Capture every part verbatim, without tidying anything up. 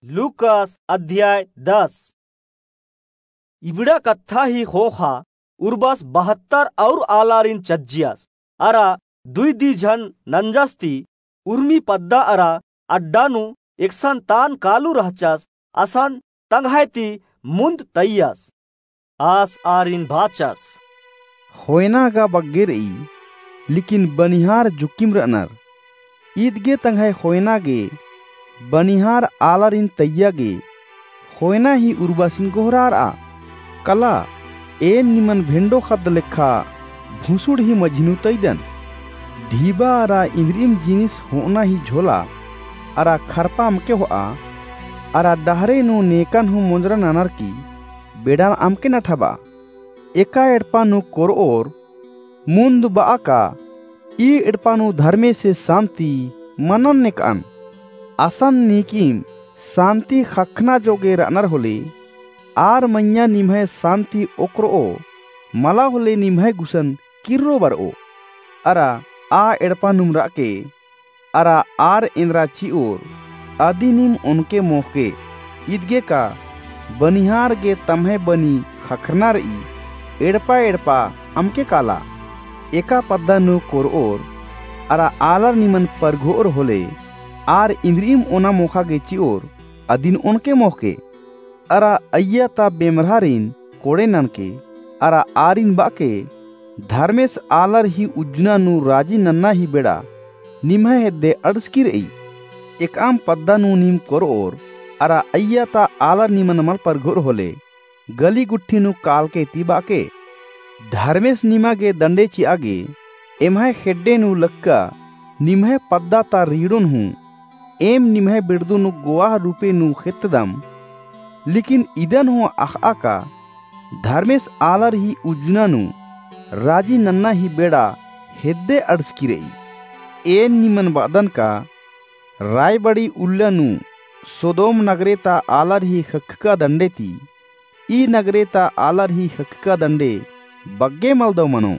लूकास अध्याय दस। इबड़ा कत्था ही ख़ोख़ा उर्बस बहत्तर और आलारिन चज्जियस। अरा दुई दी झन नंजस ती उर्मी पद्दा अरा अड्डा नू एकसन तान कालू रहचस असन तंग्है ती मुन्द तइयस। आस आरिन बाचस, ख़ोयना गा बग्गे र'ई, लेकिन बनिहार जुक्किम र'अनर। ईद गे तंग्है ख़ोयना गे बनिहार आलारिन तइया गे ख़ोयना ही उर्बासिन गोहरार'आ। कला, एन निमन भेंडो ख़द्द लेखा भुसुड़ ही मझी नू तइदन। ढीबा अरा इन्द्रिइम जिनिस हो'अना ही झोला अरा खरपा अमके हो'आ, अरा डहरे नू नेकन हूँ मोंजरा ननर की बेड़ाम अमके नठाब'आ। एका एड़पा नू कोर'ओर मुन्द ब'आ का, ई एड़पा नू धर्मेसे सान्ति मनन नेक'अन। असन नीकिम सान्ति ख़क्खना जोगे र'अनर होले, आर मइय्याँ निम्है सान्ति ओक्कर'ओ, मला होले निम्है गुसन किर्रो बर'ओ। अरा आ एड़पा नुम र'अके, अरा आर एन्द्रा चि'ओर, अदिनिम ओनके मोख़के। ईद गे का बनिहार गे तम्है बनी ख़क्खरना र'ई, एड़पा एड़पा अमके काला। एका पद्दा नू कोर'ओर अरा आलर निमन परघो'ओर होले, आर इन्द्रिइम ओना मोख़ा गे चि'ओर, अदिन ओनके मोख़के। अरा अइय्या ता बेमरहारिन कोड़े ननके, अरा आरिन ब'अके, धर्मेस आलर ही उज्जना नू राजी नन्ना ही बेड़ा निम्है हेद्दे अंड़सकी र'ई। एकअम पद्दा नू नीम कोर'ओर, अरा अइय्या ता आलर निमन मल परघो'ओर होले, गली गुट्ठी नू कालके ती ब'अके। धर्मेस निमा गे दंडे चि'आ गे, एम्है खेड्डे नू लक्का निम्है पद्दा ता रीड़ोन हूँ, एम निम्है बेड़दू नू गोवाह रूपे नू खेत्तदम। लेकिन इदन हूँ अख़'आ का, धर्मेस आलर ही उज्जना नू राजी नन्ना ही बेड़ा हेद्दे अंड़सकी र'ई। एन निमन ब'अदन का, रायबाड़ी उल्ला नू सोदोम नगरे ता आलर ही ख़क्खका दंडे ती ई नगरे ता आलर ही ख़क्खका दंडे बग्गे मलदव मनो।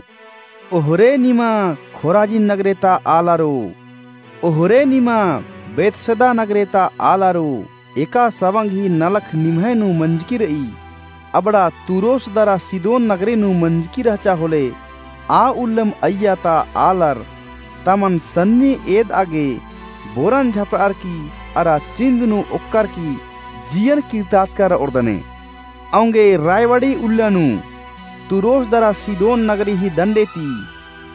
ओहरे निमा खोराजिन नगरे ता आलारो, ओहरे निमा बेतसैदा नगरे ता आलारो, एका सवंग ही नलख निम्है नू मंजकी र'ई। अबड़ा तुरोस दरा सिदोन नगरे नू मंजकी रहचा होले, आ उल्लम अइय्या ता आलर तमन सन्नी एद'आ गे बोरन झपर'अर की अरा चिन्द नू ओक्कर की जियन किर्ताचका र'ओर दने। औंगे रायवाड़ी उल्ला नू तुरोस दरा सिदोन नगरी ही दंडे ती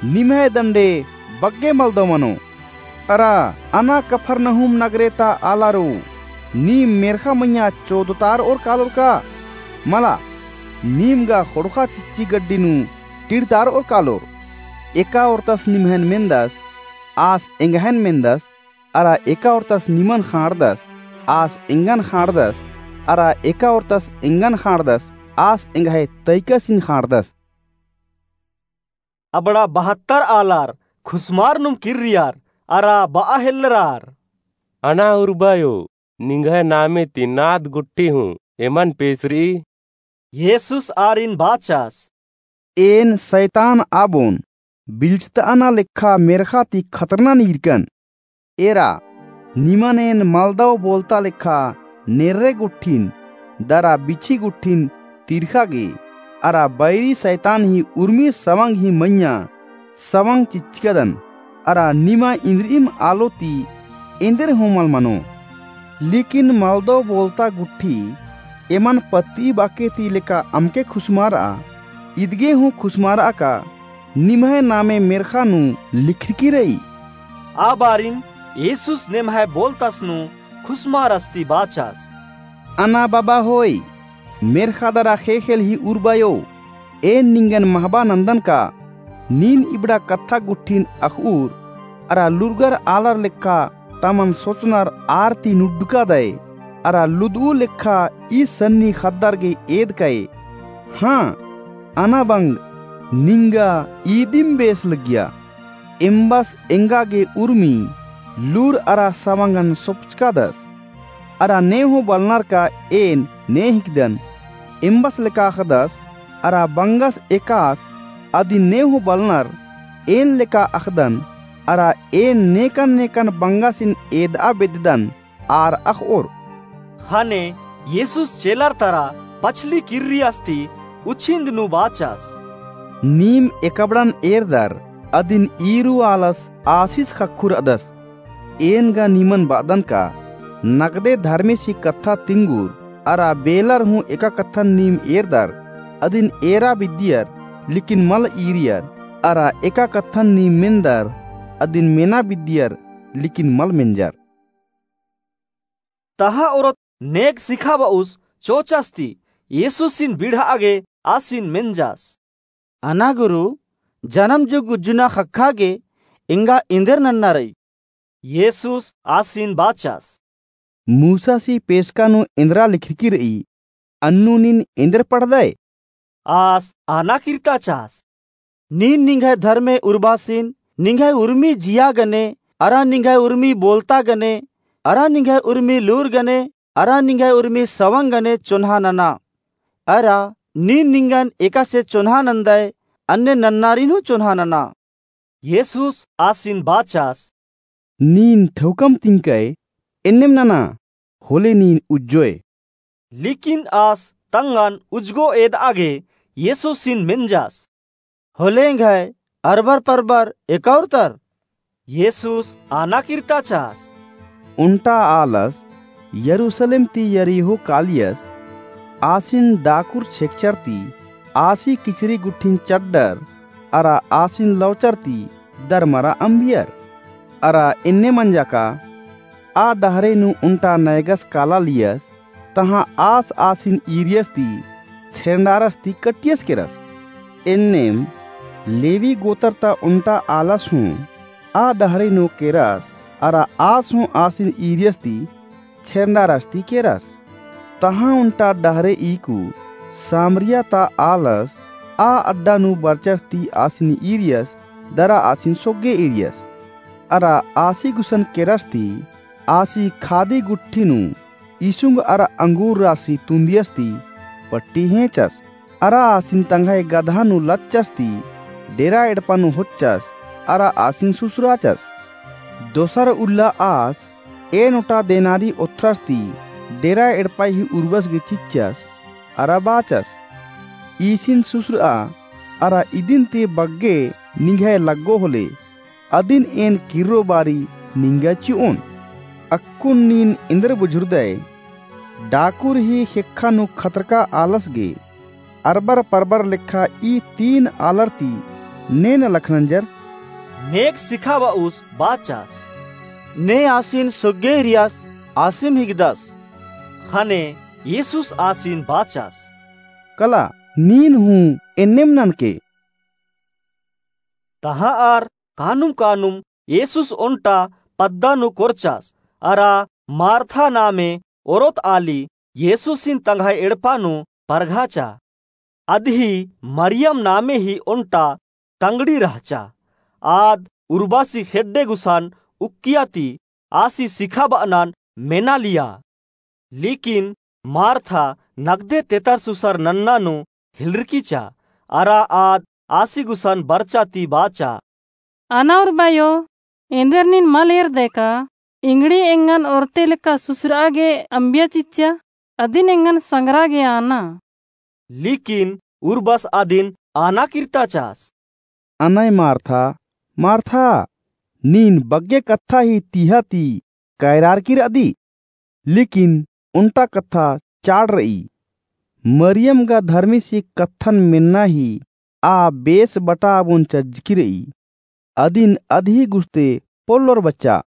निम्है दंडे बग्गे मलदव मनो। अरा अना कफरनहूम नगरे ता आलारो, नीम मेर्ख़ा मइय्याँ चोदतार'ओर कालोर का? मला, नीम गा ख़ोंड़ख़ा चिच्ची गड्डी नू टिड़तार'ओर कालोर। एका ओर्तस निम्हैन मेन्दस, आस एंग्हैन मेन्दस, अरा एका ओर्तस निमन ख़ाँड़दस, आस एंगन ख़ाँड़दस, अरा एका ओर्तस एंगन ख़ाँड़दस, आस एंग्है तइकसिन ख़ाँड़दस। अबड़ा बहत्तर आलार खुसमारनुम किर्रियर अरा ब'आ हेल्लरर, अना उर्बायो, निंग्है नामे ती नाद गुट्ठी हूँ एमन पेसर'ई। येसुस आरिन बाचस, एन सैतान आबोन बिल्चत'अना लेखा मेर्ख़ा ती खतरना नीरकन। एरा, निमन एन मलदव बोलता लेखा नेर्रे गुट्ठिन दरा बिछी गुट्ठिन तिर्ख़ा गे, अरा बैरी सैतान ही उर्मी सवंग ही मइय्याँ सवंग चिच्चकदन, अरा निमा इन्द्रिइम आलो ती एन्देर हूँ मल मनो। लेकिन मलदव बोलता गुट्ठी एमन पत्ती बाके ती लेका अमके खुसमार'आ, इदगे हूँ खुसमार'आ का निम्है नामे मेर्ख़ा नू लिखरकी र'ई। आ बारिम येसुस नेम्है बोलतस नू खुसमारस ती बाचस, अना बबा होय, मेर्ख़ा दरा ख़ेख़ेल ही उर्बायो, एन निंगन महबा नन्दन का, नीन इबड़ा कत्था गुट्ठिन अख़'उर, अरा लूरगर आलर लेखा तमन सोचनर आर ती नुड्डका दय, अरा लुद'ऊ लेखा ई सन्नी ख़द्दर गे एदकय। हाँ, अना बंग निंगा ईदिम बेस लग्गिया। एम्बस एंगा गे उर्मी लूर अरा सवंगन सोपचकादस। अरा ने हूँ बलनर का एन ने हिकदन, एम्बस लेका अख़दस, अरा बंगस एकास अदिन ने हूँ बलनर एन लेका अख़दन, अरा एन नेकन नेकन बंगसिन एद'आ बेद्ददन आर अख़'ओर। ख़ने येसुस चेलर तरा पछली किर्रियस ती उछिन्द नू बाचस। नीम एकबड़न एरदर अदिन ईरू आलस आसिस ख़क्खुरदस। एन गा निमन बअदन का नगदे धर्मेसी कत्था तिंगुर अरा बेलर हूँ एका कत्थन नीम एरदर अदिन एरा बिद्दियर लिकिन मल ईरियर अरा एका कत्थन नीम मेन्दर अदिन मेना बिद्दियर लिकिन मल मेंजर। तहा ओरोत नेग सिखाबउस चोचस ती येसुसिन बिड़हा गे आसिन मेंजस। अना गुरु, जनम जुग उज्जना ख़क्खा गे एंगा एन्देर नन्ना रई? येसुस आसिन बाचस। मूसासी पेसका नू एन्दरा लिखरकी रई, अन्नु नीन एन्देर पढ़दय? आस आना किर्ता चास। नीन निंग्है धर्मे उर्बासिन निंग्है उर्मी जिया गने अरा निंग्है उर्मी बोलता गने अरा निंग्है उर्मी लूर गने अरा निंग्है उर्मी सवंग गने चोन्हा नना। अरा नीन निंगन एकासे चोन्हा नन्दय अन्ने नन्नारिन हूँ चोन्हा नना। येसुस आसिन बाचस। नीन ठौकम तिंकय एन्नेम नना, होले नीन उज्जोय। लिकिन आस तंगन उज्जगो एदआ गे येसुसिन मेंजस। होले एंग्है अरबर परबर एका उरतर? येसुस आना किर्ता चास। ओन्टा आलस यरूसलेम ती यरीहो कालियस, आसिन डाकुर छेकचर ती आसी किचरी गुट्ठिन चड्डर अरा आसिन लौचर ती दरमरा अम्बियर। अरा एन्ने मंजा का आ डहरे नू ओन्टा नैगस काला लियस, तहाँ आस आसिन ईरियस ती छेरंडारस ती कटियस केरस। एन्नेम लेवी गोतर ता ओन्टा आलस हूँ आ डहरे नू केरस, अरा आस हूँ आसिन ईरियस ती छेरंडारस ती केरस। तहाँ ओन्टा डहरे ईकु सामरिया ता आलस आ अड्डा नू बरचस ती आसिन ईरियस, दरा आसिन सोग्गे ईरियस। अरा आसी गुसन केरस ती आसी खादी गुट्ठी नू इसुंग अरा अंगूर रासी तुन्दियस ती पट्टी हेंचस। अरा आसिन तंग्है गदहा नू लच्चस ती डेरा एड़पा नू होच्चस, अरा आसिन सुसुराचस। दोसर उल्ला आस एन ओटा देनारी ओथ्रस ती डेरा एड़पा ही उर्बस गे चिच्चस, अरा बाचस, ईसिन सुसुरआ, अरा इदिन ती बग्गे निंग्है लग्गो होले, अदिन एन किर्रो बारी निंगा चिओन। अक्कुन नीन एन्देर बुझुरदय, डाकुर ही ख़ेक्खा नू खतरका आलस गे अरबर परबर लेखा ई तीन आलर ती ने नलख नंजर? नेग सिखाबउस बाचस। ने आसिन सोग्गे ईरियस आसिम हिकदस। ख़ने येसुस आसिन बाचस। कला, नीन हूँ एन्नेम ननके। तहाँ आर कानुम कानुम येसुस ओन्टा पद्दा नू कोरचस, अरा मार्था नामे ओरोत आली येसुसिन तंग्है एड़पा नू परघाचा। अदही मरियम नामे ही ओन्टा तंगड़ी रहचा। आद उर्बासी खेड्डे गुसन उक्किया ती आसी सिखाबअनन मेना लिया। लेकिन मार्था नगदे तेतर सुसर नन्ना नू हिलरकीचा, अरा आद आसी गुसन बरचा ती बाचा। अना उर्बायो, एन्देर नीन मल एरदय का, इंगड़ी एंगन ओरते लेखा सुसरआ गे अम्बिया चिच्चा, अदिन एंगन संगरा गे आना। लेकिन उर्बस अदिन आना किर्ता चास। अनय मार्था, मार्था, नीन बग्गे कत्था ही तिहा ती कैरारकी रअदी, लेकिन ओन्टा कत्था चाड़ रई। मरियम गा धर्मेसी कत्थन मेन्ना ही आ बेस बटाबओन चज्जकी रई। अदिन अदही गुस्ते पोल्लोर बच्चा।